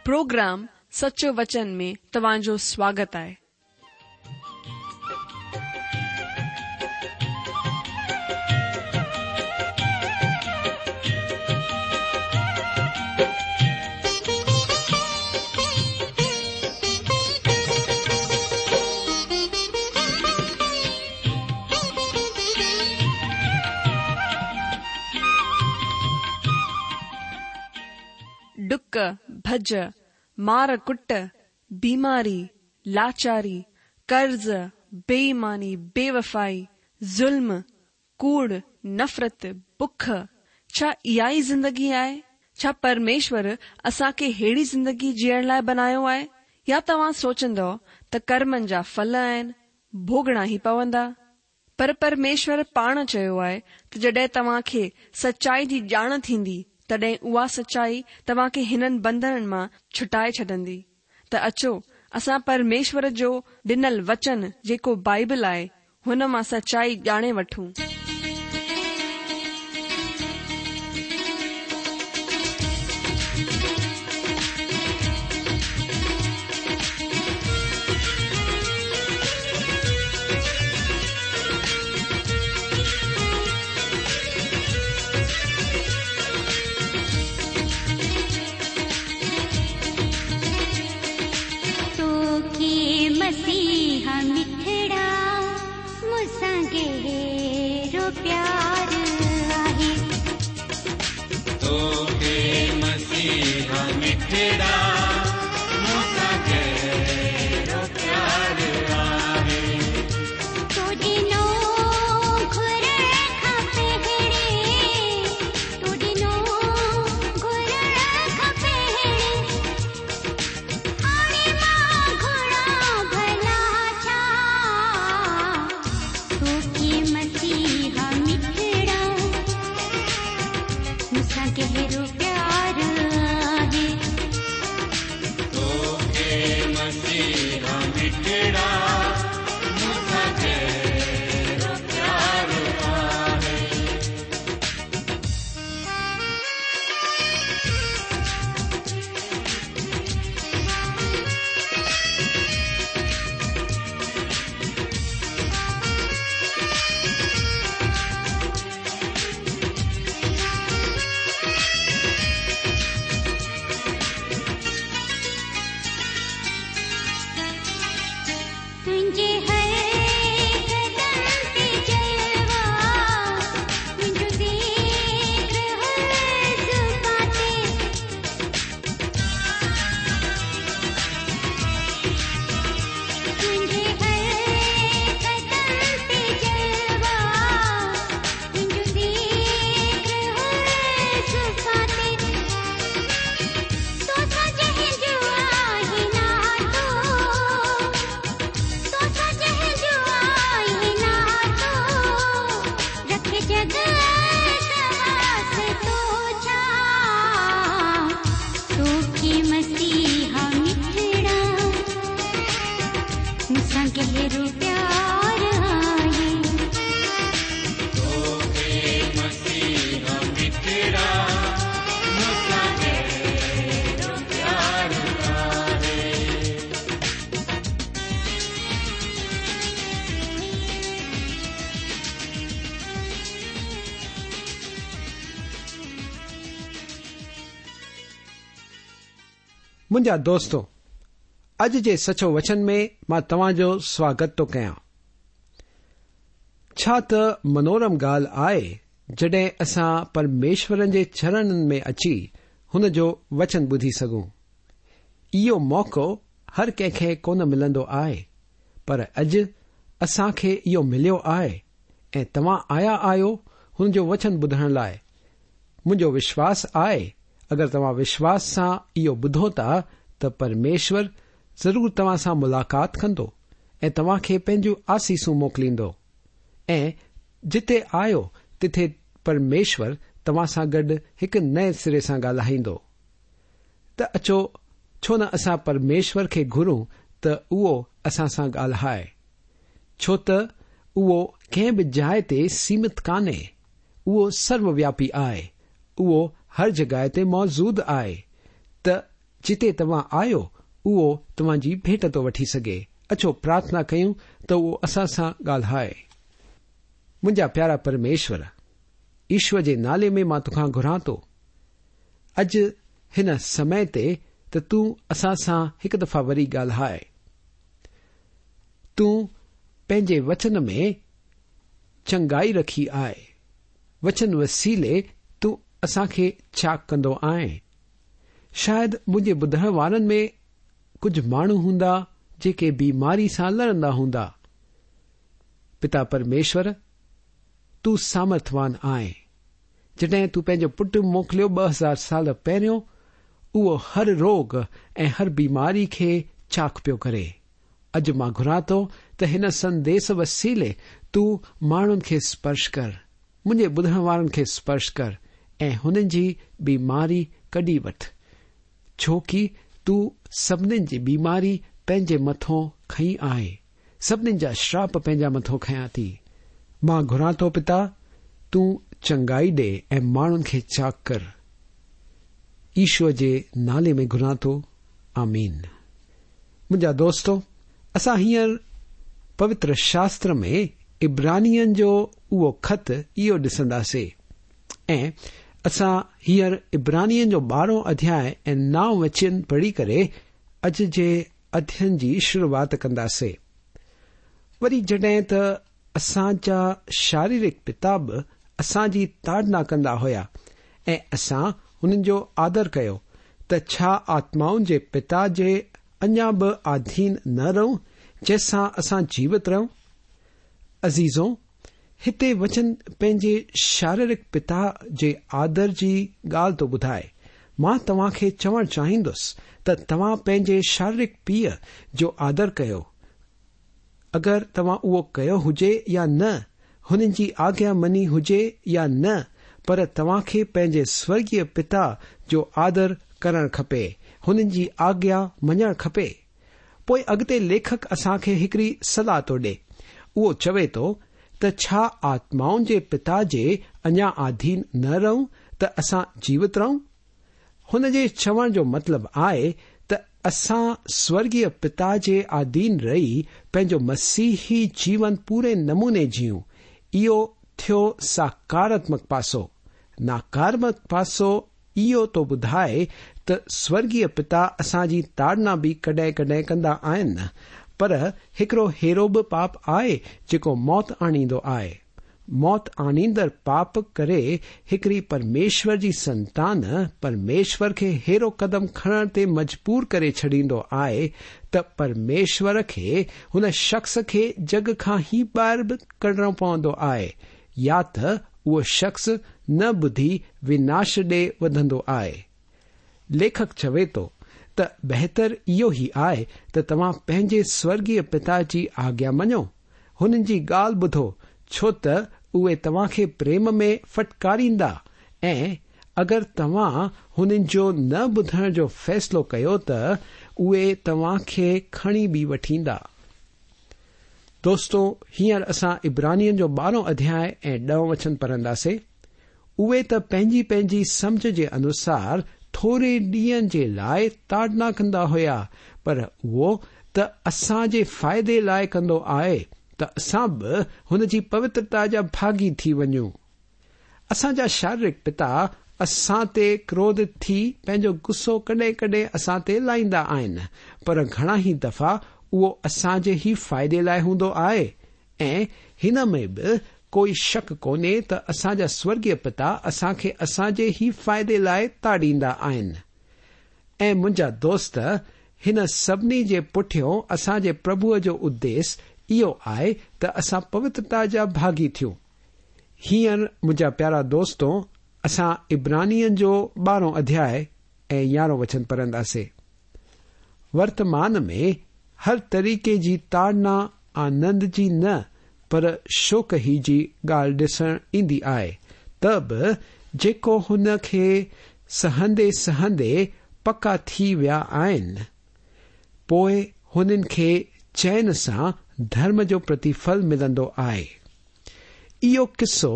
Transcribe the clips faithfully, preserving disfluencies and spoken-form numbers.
Programme سچو وچن ۾ توهان جو سواگت آهي. ڏڪ، ڀڄ، مار ڪٽ، بيماري، لاچاري، قرض، بي ايماني، بيوفائي، ظلم، ڪوڙ، نفرت، بک، ڇا اها ئي زندگي آهي؟ ڇا پرميشور اسان کي ههڙي زندگي جيئڻ لاءِ بنايو آهي؟ يا توهان سوچندؤ ته ڪرمن جا ڦل آهن، ڀوڳڻا ئي پوندا؟ پر پرميشور پاڻ چيو آهي ته جڏهن توهان کي سچائي جي ڄاڻ ٿيندي، تڏهن اها سچائي توهان کي هنن بنڌنن مان ڇٽائي ڇڏندي. ته اچو اسان پرميشور جو ڏنل وچن جيڪو بائبل آهي، هن مان سچائي ڄاڻي وٺون. तोखे मसीहा मिठड़ा मूंसां गहिरो प्यार आहे। तोखे मसीहा मिठड़ा मूंसां गहिरो प्यार आहे। तो ॾिनो घुरण खां पहिरें, तो ॾिनो घुरण खां पहिरें, हाणे मां घुरां भला छा। तोखे मसीहा मिठड़ा मूंसां गहिरो प्यार आहे। तोखे मसीहा मिठड़ा मूंसां गहिरो प्यार आहे। तुंहिंजे हर कदम ते जलवा, मुंहिंजो ज़िक्र हर ज़ुबान ते। तुंहिंजे हर कदम ते जलवा, मुंहिंजो ज़िक्र हर ज़ुबान ते। तोसां जंहिंजो आहे नातो, तोसां जंहिंजो आहे नातो, रखे जगत वास्तो छा। तोखे मसीहा मिठड़ा मूंसां गहिरो प्यार आहे। तोखे मसीहा मिठड़ा मूंसां गहिरो प्यार आहे। मुंहिंजा दोस्तो, अॼु जे सचो वचन में मां तव्हांजो स्वागत थो कयां। छा त मनोरम ॻाल्हि आहे जॾहिं असां परमेश्वरनि जे चरणनि में अची हुन जो वचन ॿुधी सघूं। इहो मौक़ो हर कंहिंखे कोन मिलंदो आहे, पर अॼु असांखे इहो मिलियो आहे ऐं तव्हां आया आहियो हुन जो वचन ॿुधण लाइ। मुंहिंजो विश्वास आहे अगरि तव्हां विश्वास सां इहो ॿुधो था त परमेश्वर ज़रूर तव्हां सां मुलाक़ात कंदो ऐं तव्हांखे पंहिंजूं आसीसूं मोकिलींदो ऐं जिते आयो तिथे परमेश्वर तव्हां सां गॾु हिकु नए सिरे सां ॻाल्हाईंदो। त अचो छो न असां परमेश्वर खे घुरूं त उहो असां सां ॻाल्हाए, छो त उहो कंहिं बि जाइ ते सीमित कान्हे, उहो सर्वव्यापी आहे, उहो हर जॻह ते मौजूद आहे। त जिते तव्हां आहियो उहो तव्हांजी भेंट थो वठी सघे। अचो प्रार्थना कयूं त उहो असां सां ॻाल्हाए। मुंहिंजा प्यारा परमेश्वर, ईश्वर जे नाले में मां तोखां घुरां थो अॼु हिन समय ते त तूं असां सां हिकु दफ़ा वरी ॻाल्हाए। तूं पंहिंजे वचन में चंगाई रखी आहे। वचन वसीले तूं असांखे चाक कंदो आहीं। शायदि मुंहिंजे ॿुधण वारनि में कुझु माण्हू हूंदा जेके बीमारी सां लड़ंदा हूंदा। पिता परमेश्वर, तूं सामर्थवान आहीं। जॾहिं तूं पंहिंजो पुटु मोकिलियो ॿ हज़ार साल पहिरियों, उहो हर रोग ऐं हर बीमारी खे चाक पियो करे। अॼु मां घुरां थो त हिन संदेश वसीले तूं माण्हुनि खे स्पर्श कर, मुंहिंजे ॿुधण वारनि खे स्पर्श कर ऐं हुननि जी बीमारी कढी वठि, छो की तूं सभिनीनि जी बीमारी पंहिंजे मथां खई आहे, सभिनीनि जा श्राप पंहिंजा मथां खयां थी। मां घुरां थो पिता, तूं चंगाई ॾे ऐं माण्हुनि खे चाक कर। ईश्वर जे नाले में घुरां थो, आमीन। मुंहिंजा दोस्तो, असां हींअर पवित्र शास्त्र में इब्रानियनि जो उहो ख़त इहो ॾिसंदासीं ऐं असां हींअर इब्रानियनि जो ॿारहों अध्याय ऐं नव वचन पढ़ी करे अॼु जे अध्ययन जी शुरूआत कंदासीं। वरी जॾहिं त असांजा शारीरिक पिता बि असांजी ताड़ना कंदा हुया ऐं असां हुननि जो आदर कयो, त छा आत्माउनि जे पिता जे अञा बि आधीन न रहूं जंहिंसां असां जीवित रहूं? अज़ीज़ो, हिते वचन पंहिंजे शारीरिक पिता जे आदर जी ॻाल्हि थो ॿुधाए। मां तव्हांखे चवणु चाहींदुसि त तव्हां पंहिंजे शारीरिक पीउ जो आदर कयो, अगरि तव्हां उहो कयो हुजे या न, हुननि जी आज्ञा मञी हुजे या न, पर तव्हांखे पंहिंजे स्वर्गीय पिता जो आदर करणु खपे, हुननि जी आज्ञा मञणु खपे। पोइ अॻिते लेखक असांखे हिकिड़ी सलाह थो ॾे। उहो चवे थो त छा आत्माउनि जे पिता जे अञा आधीन न रहूं त असां जीवित रहूं? हुन जे चवण जो मतिलबु आहे त असां स्वर्गीय पिता जे आधीन रही पंहिंजो मसीही जीवन पूरे नमूने जीऊं। इहो थियो सकारात्मक पासो। नकारात्मक पासो इहो थो ॿुधाए त स्वर्गीय पिता असांजी ताड़ना बि कॾहिं कॾहिं कंदा आहिनि, पर हिकिड़ो अहिड़ो बि पाप आहे जेको मौत आणींदो आहे। मौत आणींदड़ पाप करे हिकिड़ी परमेश्वर जी संतान परमेश्वर खे अहिड़ो कदम खणण ते मजबूर करे छॾींदो आहे त परमेश्वर खे हुन शख़्स खे जग खां ई ॿाहिरि बि कढिणो पवंदो आहे, या त उहो शख़्स न ॿुधी विनाश ॾे वधंदो आहे। लेखक चवे थो त बहितर इहो ई आहे त तव्हां पंहिंजे स्वर्गीय पिता जी आज्ञा मञो, हुननि जी ॻाल्हि ॿुधो, छो त उहे तव्हांखे प्रेम में फटकारींदा ऐं अगरि तव्हां हुननि जो न ॿुधण जो फ़ैसिलो कयो त उहे तव्हांखे खणी बि वठींदा। दोस्तो, हींअर असां इब्रानियनि जो ॿारहों अध्याय ऐं ॾहों वचन पढ़ंदासीं। उहे त पंहिंजी पंहिंजी सम्झ जे अनुसार थोरे ॾींहंनि जे लाइ ताड़ना कंदा हुया, पर उहो त असांजे फ़ाइदे लाइ कंदो आहे त असां बि हुन जी पवित्रता जा भागी थी वञूं। असांजा शारीरिक पिता असां ते क्रोधित थी पंहिंजो गुस्सो कॾहिं कॾहिं असां ते लाहींदा आहिनि, पर घणा ई दफ़ा उहो असांजे ई फ़ाइदे लाइ हूंदो आहे ऐं हिन में बि कोई शक कोन्हे त असांजा स्वर्गीय पिता असांखे असांजे ई फ़ाइदे लाइ ताड़ींदा आहिनि। ऐं मुंहिंजा दोस्त, हिन सभिनी जे पुठियों असांजे प्रभुअ जो उद्देश्य इहो आहे त असां पवित्रता जा भागी थियूं। हींअर मुंहिंजा प्यारा दोस्तो, असां इब्रानियनि जो ॿारहों अध्याय ऐं यारहों वचन पढ़ंदासीं। वर्तमान में हर तरीक़े जी ताड़ना आनंद जी न पर शोक ही जी ॻाल्हि ॾिसण ईंदी आहे, त बि जेको हुन खे सहंदे सहंदे पका थी विया आहिनि, पोइ हुननि खे चैन सां धर्म जो प्रतिफल मिलंदो आहे। इहो किसो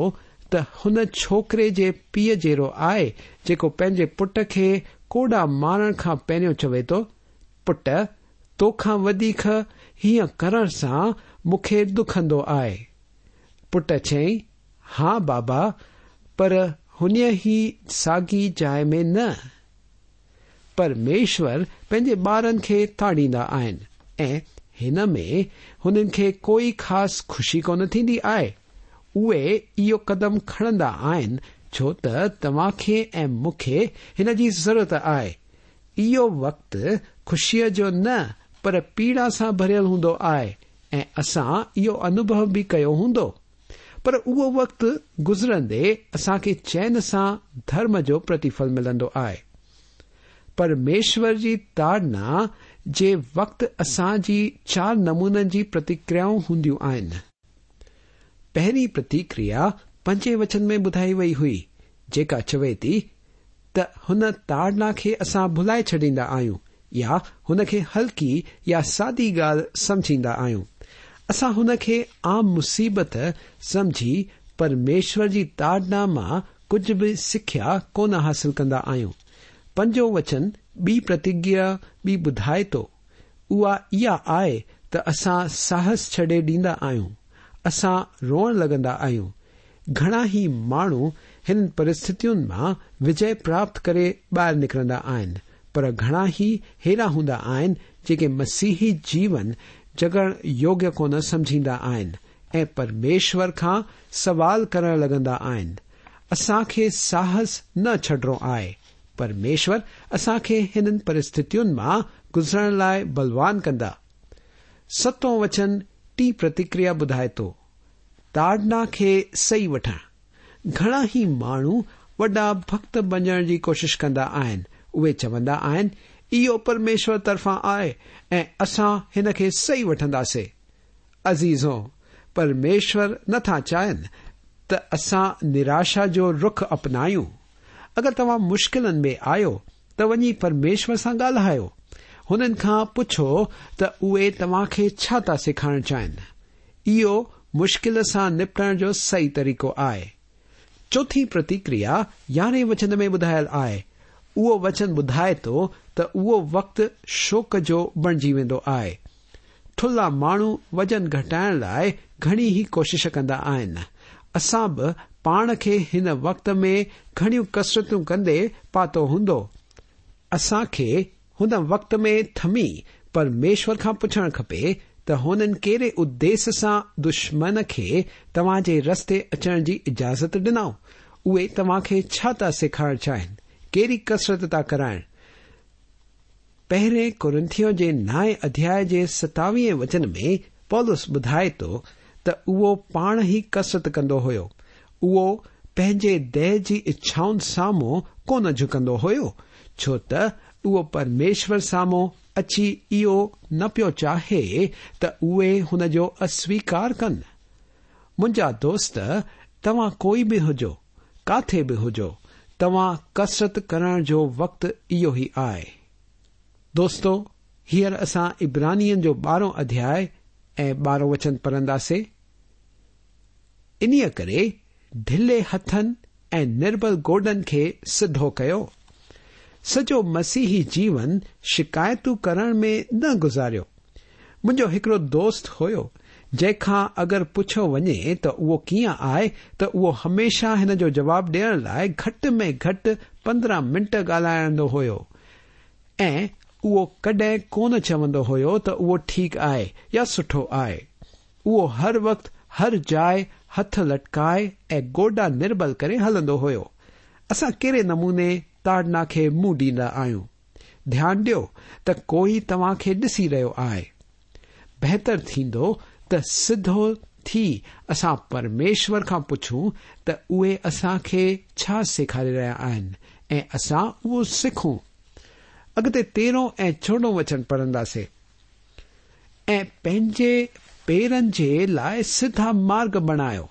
त हुन छोकिरे जे पीउ जहिड़ो आहे जेको पंहिंजे पुट खे ڪوڏا مارڻ کان پهريون چوي ٿو، پٽ، توکان وڌيڪ هيئن ڪرڻ سان مون کي ڏکندو آهي. پٽ چيائين، ها بابا، پر هن ئي ساڳي جاءِ ۾ نه. پرميشور پنهنجي ٻارن کي تاڙيندا آهن ۽ هن ۾ هنن کي ڪوئي خاص خوشي ڪونه ٿيندي آهي. اهي اهو قدم کڻندا آهن ڇو ته توهان کي ۽ مون کي هن جي ضرورت آهي. اهو وقت خوشيءَ جو نه پر پيڙا سان ڀريل هوندو آهي ۽ اسان اهو انوڀو به ڪيو هوندو. پر اهو وقت گذرندي اسان کي چين سان ڌرم جو پرتڦل ملندو آهي. پرميشور جي تاڙنا جي وقت اسان جي چار نمونن جي پرتڪريائون هونديون آهن. پهرين پرتڪريا پنجين وچن ۾ ٻڌائي وئي هئي، جيڪا چوي ٿي ته هن تاڙنا کي اسان ڀلائي ڇڏيندا آهيون يا هن کي هلڪي يا سادي ڳالهه سمجهيندا آهيون. اسان هن کي عام مصيبت سمجهي پرميشور جي تاڙنا مان ڪجهه به سکيا ڪونه حاصل ڪندا آهيون. پنجون وچن ٻي پرتڪريا به ٻڌائي ٿو. اها اها آهي ته اسان ساهس ڇڏي ڏيندا آهيون. اسان روئڻ لڳندا آهيون. گهڻا ئي ماڻهو هن پرسٿتين مان وجي پراپت ڪري ٻاهر نڪرندا آهن، پر گهڻا ئي هيڙا هوندا آهن جيڪي مسيحي جيون جڳڻ يوگيه ڪونه سمجهيندا آهن ۽ پرميشور کان سوال ڪرڻ لڳندا آهن. اسان کي ساهس نه ڇڏڻو آهي. پرميشور اسان کي هنن پرسٿتين مان گذرڻ لاءِ بلوان ڪندا. ستون وچن ٽين پرتڪريا ٻڌائي ٿو، تاڙنا کي صحيح وٺڻ. گهڻا ئي ماڻهو وڏا ڀڪت بڻجڻ جي ڪوشش ڪندا آهن. اهي چوندا آهن، اهو پرميشور طرفان آهي ۽ اسان هن کي صحيح وٺنداسين. عزيزو، پرميشور نٿا چاهين ته اسان نراشا جو رخ اپنايون. اگر توهان مشڪلن ۾ آهيو ته وڃي پرميشور سان ڳالهايو. هنن کان پڇو ته اهي توهان کي ڇا ٿا سيکارڻ چاهين. اهو مشڪل سان نپٽڻ جو صحيح طريقو آهي. چوٿين پرتڪريا يارهين وچن ۾ ٻڌايل آهي. اهو وچن ٻڌائي ٿو ته اهو وقت شوڪ جو بڻجي ويندو آهي. ٿلها ماڻهو وزن گهٽائڻ لاءِ گهڻي ئي ڪوشش ڪندا آهن. اسان به پاڻ کي هن وقت ۾ گهڻيون ڪسرتون ڪندي پاتو هوندو. اسان کي هن وقت ۾ ٿمي پرميشور کان پڇڻ کپي ته هنن ڪهڙي اديش سان دشمن کي توهان جي رستي اچڻ جي اجازت ڏنائون. اهي توهان کي ڇا ٿا سيکارڻ چاهين؟ ڪهڙي ڪسرت ٿا ڪرائڻ؟ پهرين ڪرنٿيون جي نائين اڌياءِ جي ستاويهين وچن ۾ پولس ٻڌائي ٿو ته اهو پاڻ ئي ڪسرت ڪندو هيو. اهو پنهنجي ديهه جي اڇائن سامهون ڪونه جهڪندو هيو، ڇو ته اهو پرميشور سامهون اچي اهو نه پيو چاهي ته اهي هن جو اسويڪار ڪن. منهنجا دوست، توهان ڪوئي به هجو، ڪاٿي به هجو، توهان ڪسرت ڪرڻ جو وقت اهو ئي آهي. دوستو، هينئر اسان عبرانين جو ٻارهون اڌياءِ ۽ ٻارهون وچن پڙهنداسين. انهيءَ ڪري ڍلي هٿن ۽ نربل گوڏن کي سڌو ڪيو. سڄو مسيحي جيون شڪايتون ڪرڻ ۾ نه گذاريو. منهنجو هڪڙو دوست هيو، جنهن کان اگر پڇيو وڃي ته اهو ڪيئن آهي ته اهو هميشه هن جو جواب ڏيڻ لاءِ گهٽ ۾ گهٽ پندرهن منٽ ڳالهائيندو هيو ۽ اهو ڪڏهن ڪونه چوندو هيو ته اهو ٺيڪ آهي يا سٺو آهي. اهو هر وقت هر جاءِ هٿ لٽڪائي ۽ گوڏا نربل ڪري هلندو هيو. اسان ڪهڙي نموني تاڙنا کي منهن ڏيندا آهيون؟ ڌيان ڏيو ته ڪوئي توهان کي ڏسي رهيو آهي. بهتر ٿيندو ته سڌو ٿي اسان پرميشور کان پڇون ته اهي اسان کي ڇا سيکاري رهيا آهن ۽ اسان اهو سکون. اڳتي تيرهون ۽ چوڏهون وچن پڙهنداسين. ۽ پنهنجي پيرن جي لاءِ سڌا مارگ بڻايو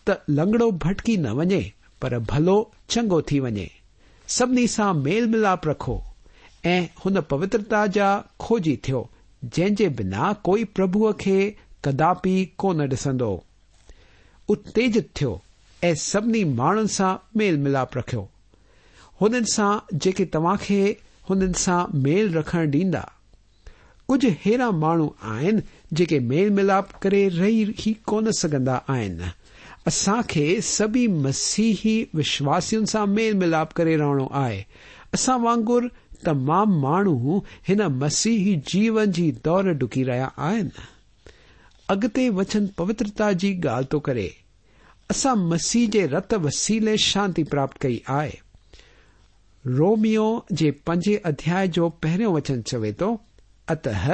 ته لنگڙو ڀٽڪي نه وڃي، پر ڀلو چڱو ٿي وڃي. سڀني سان ميل ملاپ رکو ۽ هن پوترتا جا کوجي ٿيو، جنهن جي بنا ڪوئي پرڀوءَ کي ڪداپي ڪونه ڏسندو. اتيجت ٿيو ۽ سڀني ماڻهن سان ميل ملاپ رکيو. हुननि सां जेके तव्हां खे हुननि सां मेल रखण ॾींदा। कुझु अहिड़ा माण्हू आहिनि जेके मेल मिलाप करे रही ई कोन सघंदा आहिनि। असांखे सभिनी मसीही विश्वासियुनि सां मेल मिलाप करे रहणो आहे। असां वांगुरु तमामु माण्हू हिन मसीही जीवन जी दौड़ डुकी रहिया आहिनि। अॻिते वचन पवित्रता जी ॻाल्हि थो करे। असां मसीह जे रत वसीले शांति प्राप्त कई आहे। रोमियो जे पंजे अध्याय जो पहिरियों वचन चवे थो, अतः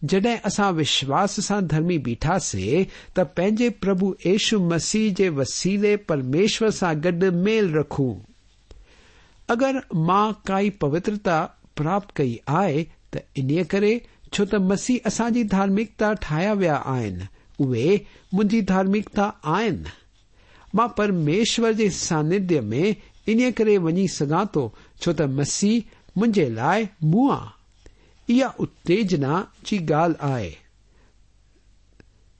जॾहिं असां विश्वास सां धर्मी बीठासीं त पंहिंजे प्रभु यीशु मसीह जे वसीले परमेश्वर सां गॾु मेल रखूं। अगरि मां काई पवित्रता प्राप्त कई आहे त इन्हीअ करे छो त मसीह असांजी धार्मिकता ठाहिया विया आहिनि, उहे मुंहिंजी धार्मिकता आहिनि। मां परमेश्वर जे सानिध्य में इन्हीअ करे वञी सघां थो छो त मसीह मुंहिंजे लाइ मुआ। इहा उत्तेजना जी ॻाल्हि आहे।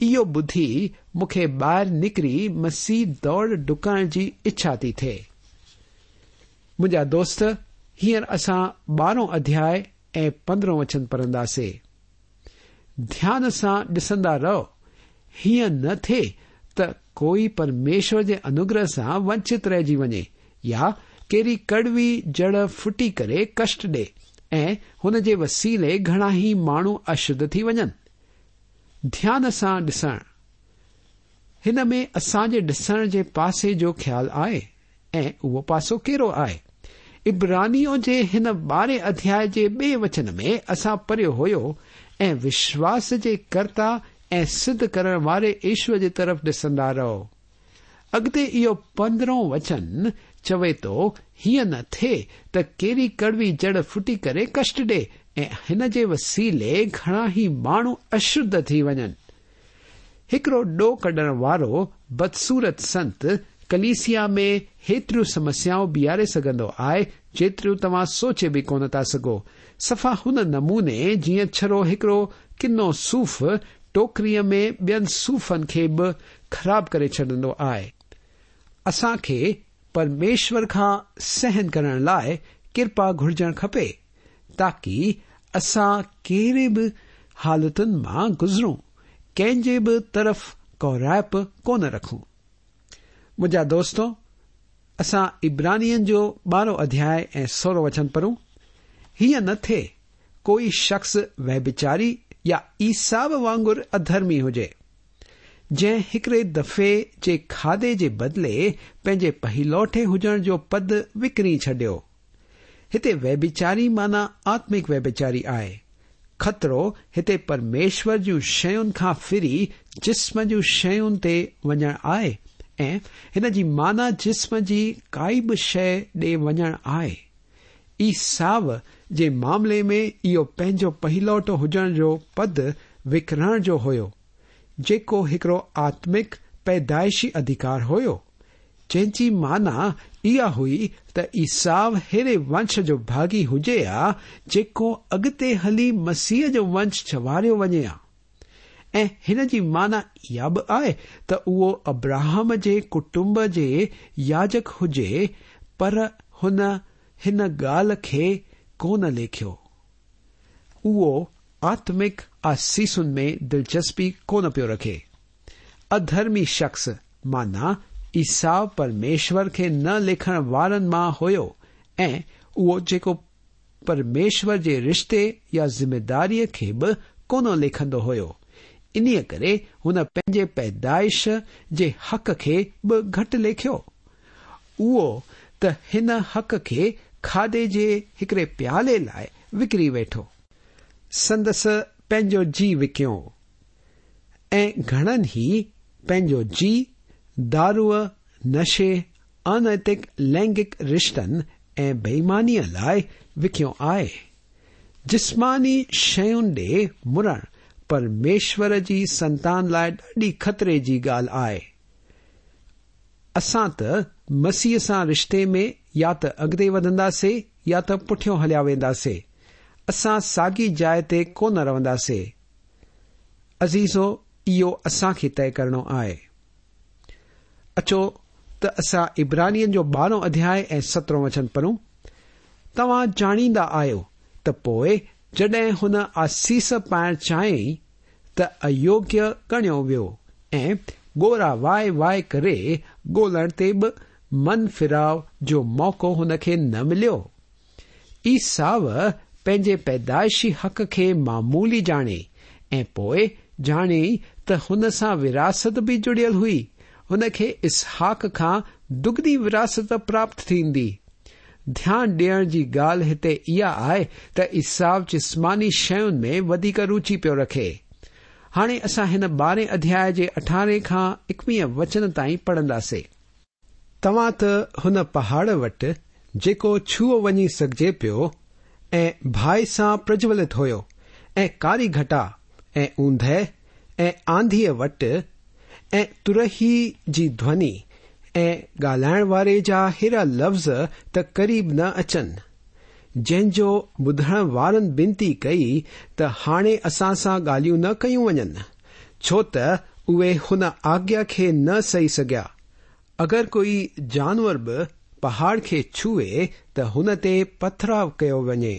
इहो ॿुधी मूंखे ॿाहिरि निकिरी मसीह दौड़ डुकण जी इच्छा थी थिए। मुंहिंजा दोस्त, हींअर असां ॿारहों अध्याय ऐं पंद्रहों वचन पढ़ंदासीं। ध्यान सां ॾिसंदा रहो, हीअं न थिए त कोई परमेश्वर जे अनुग्रह सां वंचित रहिजी वञे या कहिड़ी कड़वी जड़ फुटी करे कष्ट ॾे ऐं हुन जे वसीले घणा ई माण्हू अशुद्ध थी वञनि। ध्यान सां ॾिसण, हिन में असांजे ॾिसण जे पासे जो ख़्यालु आहे ऐं उहो पासो कहिड़ो आहे? इब्रानियों जे हिन ॿारहें अध्याय जे ॿिए वचन में असां पढ़ियो हुयो, ऐं विश्वास जे कर्ता ऐं सिद्ध करण वारे ईश्वर जे तरफ़ ॾिसंदा रहो। अॻिते इहो पंद्रहों वचन चवे थो, हीअं न थिए त कहिड़ी कड़वी जड़ फुटी करे कष्ट ॾे ऐं हिन जे वसीले घणा ई माण्हू अशुद्ध थी वञनि। हिकिड़ो ॾोह कढण वारो बदसूरत संत कलीसिया में हेतिरियूं समस्याऊं बीहारे सघंदो आहे जेतिरियूं तव्हां सोचे बि कोन था सघो। सफ़ा हुन नमूने जीअं छड़ो हिकिड़ो किनो सूफ़ टोकरीअ में ॿियनि सूफ़नि खे बि ख़राब करे छॾंदो आहे। असांखे परमेश्वर खां सहन करण लाइ कृपा घुर्जण खपे ताकी असां कहिड़े बि हालतुनि मां गुज़रूं, कंहिंजे बि तरफ़ कोराइप कोन रखूं। मुंहिंजा दोस्तो, असां इब्रानियनि जो ॿारहों अध्याय ऐं सोरहों वचन पढ़ूं। हीअं न थिए कोई शख़्स व्यभिचारी या ईसाव वांगुरु अधर्मी हुजे, जंहिं हिकिड़े दफ़े जे खाधे जे बदिले पंहिंजे पहिलोठे हुजण जो पद विकिणी छॾियो। हिते व्यभिचारी माना आत्मिक व्यभिचारी आहे। ख़तरो हिते परमेश्वर जूं शयुनि खां फिरी जिस्म जूं शयुनि ते वञणु आहे ऐं हिन जी माना जिस्म जी काई बि शइ ॾे वञणु आहे। ईसाव जे मामले में इहो पंहिंजो पहिलोटो हुजण जो पद विकिणण जो हुयो, जेको हिकिड़ो आत्मिक पैदाइशी अधिकार हुयो, जंहिंजी माना इहा हुई त ईसाव अहिड़े वंश जो भागी हुजे हा जेको अॻिते हली मसीह जो वंश चवारियो वञे हा। ऐं हिन जी माना इहा बि आहे त उहो अब्राहम जे कुटुंब जे याजक हुजे, पर हुन हिन ॻाल्हि खे कोन लेखियो। उहो आत्मिक आसीसुनि में दिलचस्पी कोन पियो रखे। अधर्मी शख़्स माना ईसाव परमेश्वर खे न लेखण वारनि मां हुयो ऐं उहो जेको परमेश्वर जे रिश्ते या ज़िम्मेदारीअ खे बि कोन लेखंदो हुयो, इन्हीअ करे हुन पंहिंजे पैदाइश जे हक़ खे बि घटि लेखियो। उहो त हिन हक़ खे खाधे जे हिकिड़े प्याले लाइ विकिरी वेठो, संदसि पंहिंजो जी विकियो ऐं घणनि ई पंहिंजो जी दारूअ, नशे, अनैतिक लैंगिक रिश्तनि ऐं बेईमानीअ लाइ विकियो आहे। जिस्मानी शयुनि ॾे मुड़णु परमेश्वर जी संतान लाइ ॾाढी ख़तरे जी ॻाल्हि आहे। असां त मसीह सां रिश्ते में या त अॻिते वधंदासीं या त पुठियों हलिया वेंदासीं। असां साॻी जाइ ते कोन रहंदासीं। अज़ीज़ो, इहो असांखे तय करिणो आहे। अचो त असां इब्रानियनि जो ॿारहों अध्याय ऐं सतरहों वचन पढ़ूं। توهان ڄاڻيندا آهيو ته پوءِ جڏهن هن آسيس پائڻ چاهيائين ته ايوگيه ڳڻيو ويو ۽ ڳوڙها وهائي وهائي ڪري ڳولڻ تي به من ڦيراءُ جو موقعو هن کي نه مليو. عيساو پنهنجي پيدائشي حق کي معمولي ڄاڻي ۽ پوءِ ڄاڻي ته هن سان وراثت به جڙيل هئي. هن کي اسحاق کان دگني وراثت پراپت ٿيندي. ڌيان ڏيڻ جي ڳالهه هتي اها آهي ته عيساو جسماني شين ۾ وڌيڪ رچي پيو رکي. هاڻي اسان هن ٻارهين اڌياءِ جي اٺارهين کان ايڪويهه وچن تائين پڙهنداسين. توهان ته هن پهاڙ وٽ جيڪو ڇهيو وڃي سگهجي پيو ۽ باهه سان پرجولت هيو ۽ ڪاري گهٽا ۽ اوندهه ۽ آنڌيءَ وٽ ۽ ترهي جي ڌوني ۽ ڳالهائڻ واري جا ههڙا لفظ ته قريب نه اچن، جنهن جو ٻڌڻ وارن بنتي ڪئي ته هاڻي اسان سان ڳالهيون نه ڪيون وڃن، ڇو ته اهي هن آگيا کي نه سهي سگهيا. اگر ڪوئي جانور به پهاڙ کي ڇهي ته هن تي پٿراءُ ڪيو وڃي.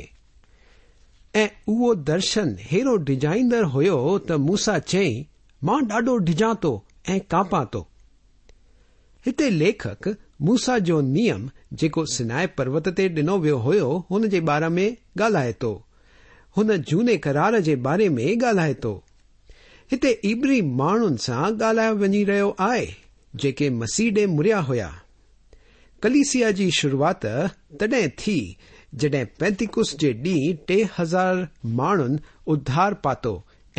۽ اهو درشن ههڙو ڊڄائيندڙ هيو ته موسيٰ چيائين، مان ڏاڍو ڊڄان ٿو ۽ ڪاپان ٿو. هتي ليکڪ موسيٰ جو نيم جيڪو سنائي پروت تي ڏنو ويو هيو هن جي باري ۾ ڳالهائي ٿو. هن جهوني قرار جي باري ۾ ڳالهائي ٿو. هتي عبري ماڻهن سان ڳالهايو وڃي رهيو آهي جيڪي مسيح ڏي مڙيا هيا. ڪليسيا جي شروعات تڏهن ٿي جڏهن پينتيڪوس جي ڏينهن ٽي هزار ماڻهن اڌار پاتو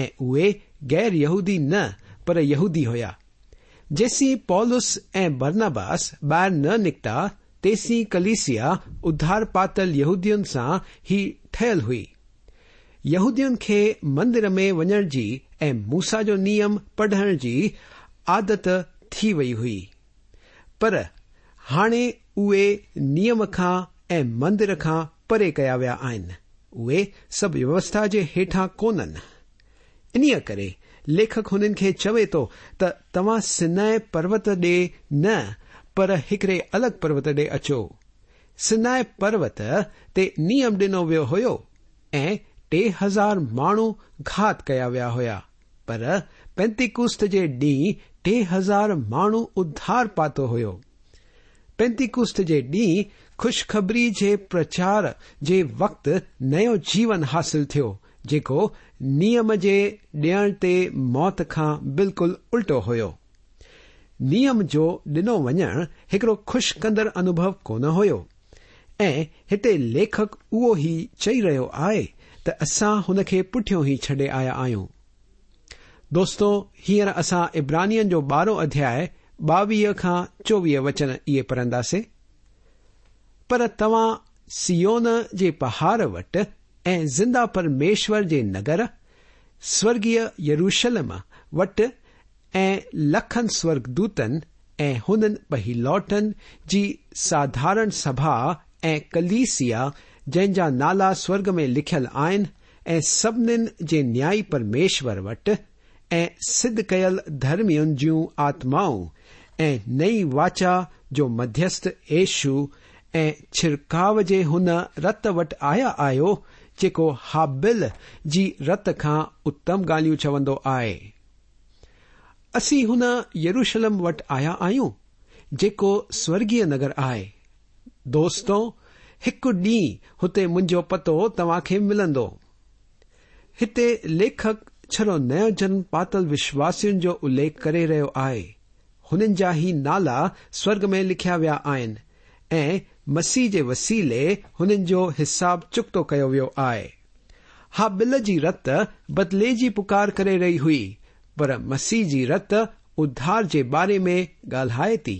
۽ اهي غير يهودي نه پر يهودي هيا. جيسين پولس ۽ برنباس ٻاهر نه نڪتا تيسين ڪليسيا اڌار پاتل يهودين سان ئي ٺهيل هئي. يهودين کي مندر ۾ وڃڻ جي ۽ موسيٰ جو نيم پڙهڻ جي عادت ٿي وئي هئي، پر هاڻي اهي نيم کان ۽ مندر کان پري ڪيا ويا آهن. اهي سڀ ويوسٿا جي هيٺان ڪونهن. انهيءَ ڪري ليکڪ هنن کي چوي ٿو ته توهان سنائي پروت ڏي نه پر هڪڙي الڳ پروت ڏي اچو. سنائي پروت تي نيم ڏنو ويو هيو ۽ ٽي هزار ماڻهو گهات ڪيا ويا هيا، پر پينتيڪوست جي ڏينهن ٽي هزار ماڻهو اڌار پاتو هيو. پينتيڪوست جي ڏينهن خوشخبري جي پرچار جي وقت نيو جيون حاصل ٿيو، جيڪو نيم جي ڏيڻ تي موت کان بلڪل الٽو هيو. نيم جو ڏنو وڃڻ هڪڙو خوش ڪندڙ انوڀو ڪونه هيو ۽ هتي ليکڪ اهو ئي چئي رهيو آهي ته اسان هن کي پٺيون ئي ڇڏي آيا آهيون. دوستو، هينئر اسان عبرانين جو ٻارهون اڌياءِ ٻاويهه کان چوويهه وچن اهي پڙهنداسين. پر توهان سيون جي پهاڙ وٽ ۽ زنده پرميشور جي نگر سورڳيه يروشلم وٽ ۽ لکن سورڳدوتن ۽ هنن پهلوٺن جي ساڌارڻ سڀا ۽ ڪليسيا جنهن جا نالا سورڳ ۾ لکيل آهن ۽ سڀنين جي نيائي پرميشور وٽ ۽ سڌ ڪيل ڌرمين جون آتمائون ۽ نئين واچا جو مڌيسٿ يشوع ۽ ڇڙڪاءُ جي هن رت وٽ آيا آهيو جيڪو هابيل جي رت کان اتم ڳالهيون چوندو آهي. اسين هن يروشلم وٽ آيا آهيون جيڪو سورڳيه نگر آهي. دوستو، هڪ ڏينهن هتي منهنجو پتو توهان کي ملندو. هتي ليکڪ ڇڙو نيو جنم پاتل وشواسين جو اليک ڪري رهيو آهي. هنن جا هي نالا سورڳ ۾ لکيا ويا آهن ۽ مسيح جي وسيلي هنن جو حساب چڪتو ڪيو ويو آهي. هابيل جي رت بدلي جي پڪار ڪري رهي هئي، پر مسيح جي رت اڌار جي باري ۾ ڳالهائي ٿي.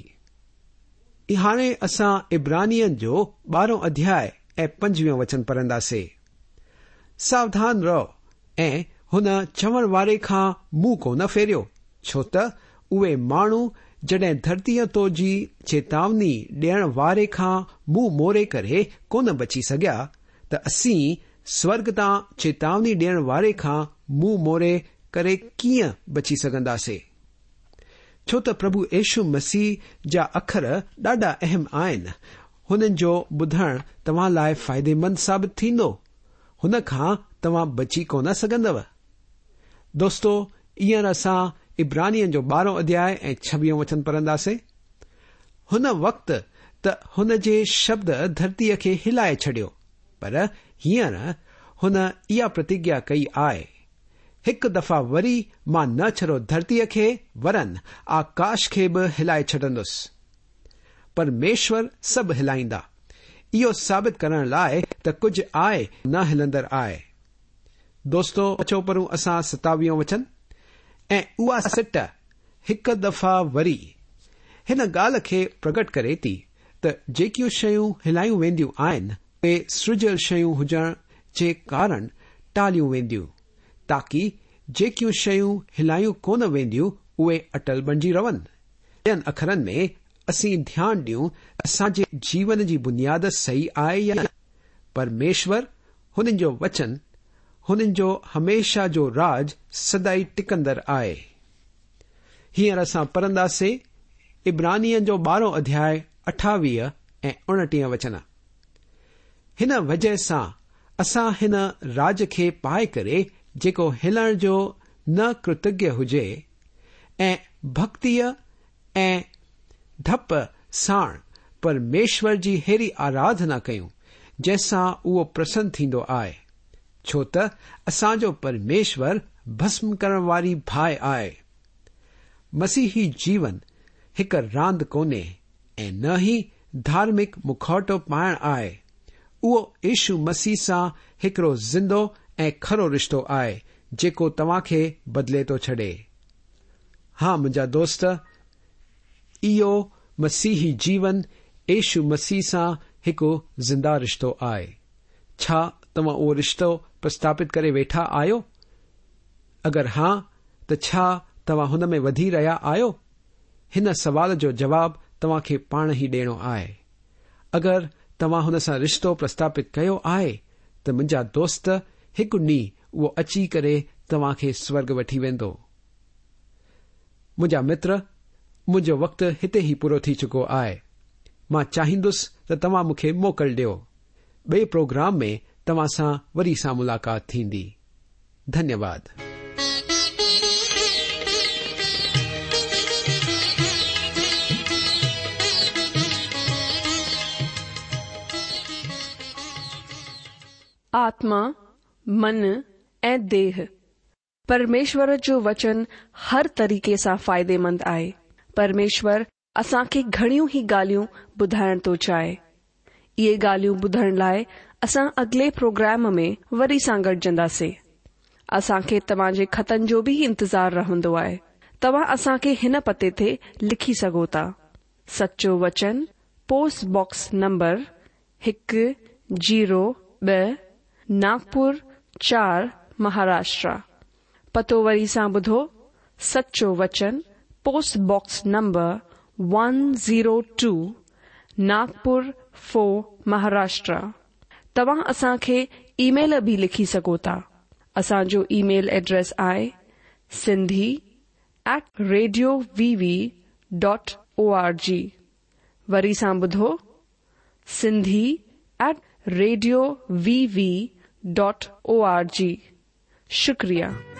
هاڻي اسان عبرانين جو ٻارهون اڌياءِ ۽ پنجويهون وچن پڙهنداسين. ساوڌان رهو ۽ هن چوڻ واري کان منهن ڪونه ڦيريو، ڇو ته اهي ماڻهو جڏهن ڌرتيءَ تو جي چيتاوني ڏيڻ واري کان منهن موڙي ڪري ڪونه بچي سگهيا، ته اسين سورڳ تان چيتاوني ڏيڻ واري کان منهن موڙي ڪري ڪيئن بچي سگهنداسين؟ ڇو ته پرڀو يشو مسيح جا اکر ڏاڍا اهم آهن. هنن جو ٻڌڻ توهان لاءِ فائديمند ثابت ٿيندو؟ هن کان توهان بچي ڪونه سگهندؤ. دوستو، هينئر اسان عبرانين جو ٻارهون اڌياء ۽ ڇويهون وچن پڙهنداسين. هن وقت ته هن جي شبد ڌرتيء کي هلائي ڇڏيو، پر هينئر هن اها پرتگيا ڪئي آهي، هڪ دفعا وري مان نه ڇڙو ڌرتيء کي ورن آڪاش کي به هلائي ڇڏندس. پرميشور سڀ هلائيندا، اهو ثابت ڪرڻ لاءِ ته ڪجهه آهي نه هلندڙ آهي. دوستو، اچو پڙهون اسان ستاويهون وچن. ۽ اها سٽ هڪ دفعا وري هن ڳالهه کي پرگٽ ڪري ٿي ته جيڪيون شيون هلايون وينديون آهن اهي سرجيل شيون هجڻ جي ڪارڻ ٽاليون وينديون، تاڪي جيڪيون شيون هلايون ڪونه وينديون اهي اٽل بڻجي رهن. ٻين اکرن ۾ اسين ڌيان ڏيون اسان جي جيون جي بنياد صحيح آهي يا نه. پرميشور، هنن جو وچن، هنن جو هميشه جو راج سدائين ٽڪندڙ آهي. هينئر اسان پڙهنداسين عبرانين جو ٻارهون اڌياء اٺاويهه ۽ اڻٽيهه وچن. هن وجهه سان اسان هن راج کي پائي ڪري جيڪو هلڻ جو نه ڪرتگيه هجي ۽ ڀڳتيءَ ۽ ڊپ ساڻ پرميشور جي ههڙي آراڌنا ڪيون جنهن سان اهو پرسن ٿيندو آهي، ڇو ته اسان جو پرميشور ڀسم ڪرڻ واري باهه آهي. مسيحي جيون هڪ راند ڪونهي ۽ نه ئي ڌارمڪ مکوٽو پائڻ آهي. اهو يشو مسيح سان هڪڙو زندو ۽ کرو رشتو آهي جيڪو توهان کي بدلي ٿو ڇڏي. ها منهنجا دوست، اهو مسيحي جيون يشو مسيح سان هڪ زنده رشتو آهي. ڇا توهان اهو رشتو پرسٿاپت ڪري ويٺا آهيو؟ اگر ها، ته ڇا توهان هن ۾ وڌي رهيا آهيو؟ هن سوال جو جواب توهان کي پاڻ ئي ڏيڻو آهي. اگر توهان هن سان رشتو پرسٿاپت ڪيو آهي ته منهنجا دوست، هڪ ڏينهن اهو اچي ڪري توهان کي سورڳ وٺي ويندو. منهنجا متر، منهنجو وقت هتي ئي پورو ٿي چڪو آهي. مان چاهيندس ته توهان مون کي موڪل ڏيو. ٻئي پروگرام ۾ توهان سان وري سان ملاقات ٿيندي. ڌنيواد. آتما، من ۽ ديهه. پرميشور جو وچن هر طريقي سان فائديمند آهي. پرميشور اسان کي گهڻيون ئي ڳالهيون ٻڌائڻ ٿو چاهي. اهي ڳالهيون ٻڌڻ لاءِ اسان اڳلي پروگرام ۾ وري سان گڏجنداسين. اسان کي توهان جي خطن جو به انتظار رهندو آهي. توهان اسان کي هن پتي تي لکي سگهو ٿا. سچو وچن، پوسٽ باڪس نمبر هڪ زيرو ٻه، ناگپور چار، مهاراشٽر. پتو وري سان ٻڌو، سچو وچن، post box number one zero two, Nagpur four, Maharashtra. توهان اسان کي اي ميل به لکي سگهو ٿا. اسان جو اي ميل ايڊريس آهي Sindhi at radio V V dot O R G. وري سان ٻڌو، Sindhi at radio V V dot O R G. شڪريه.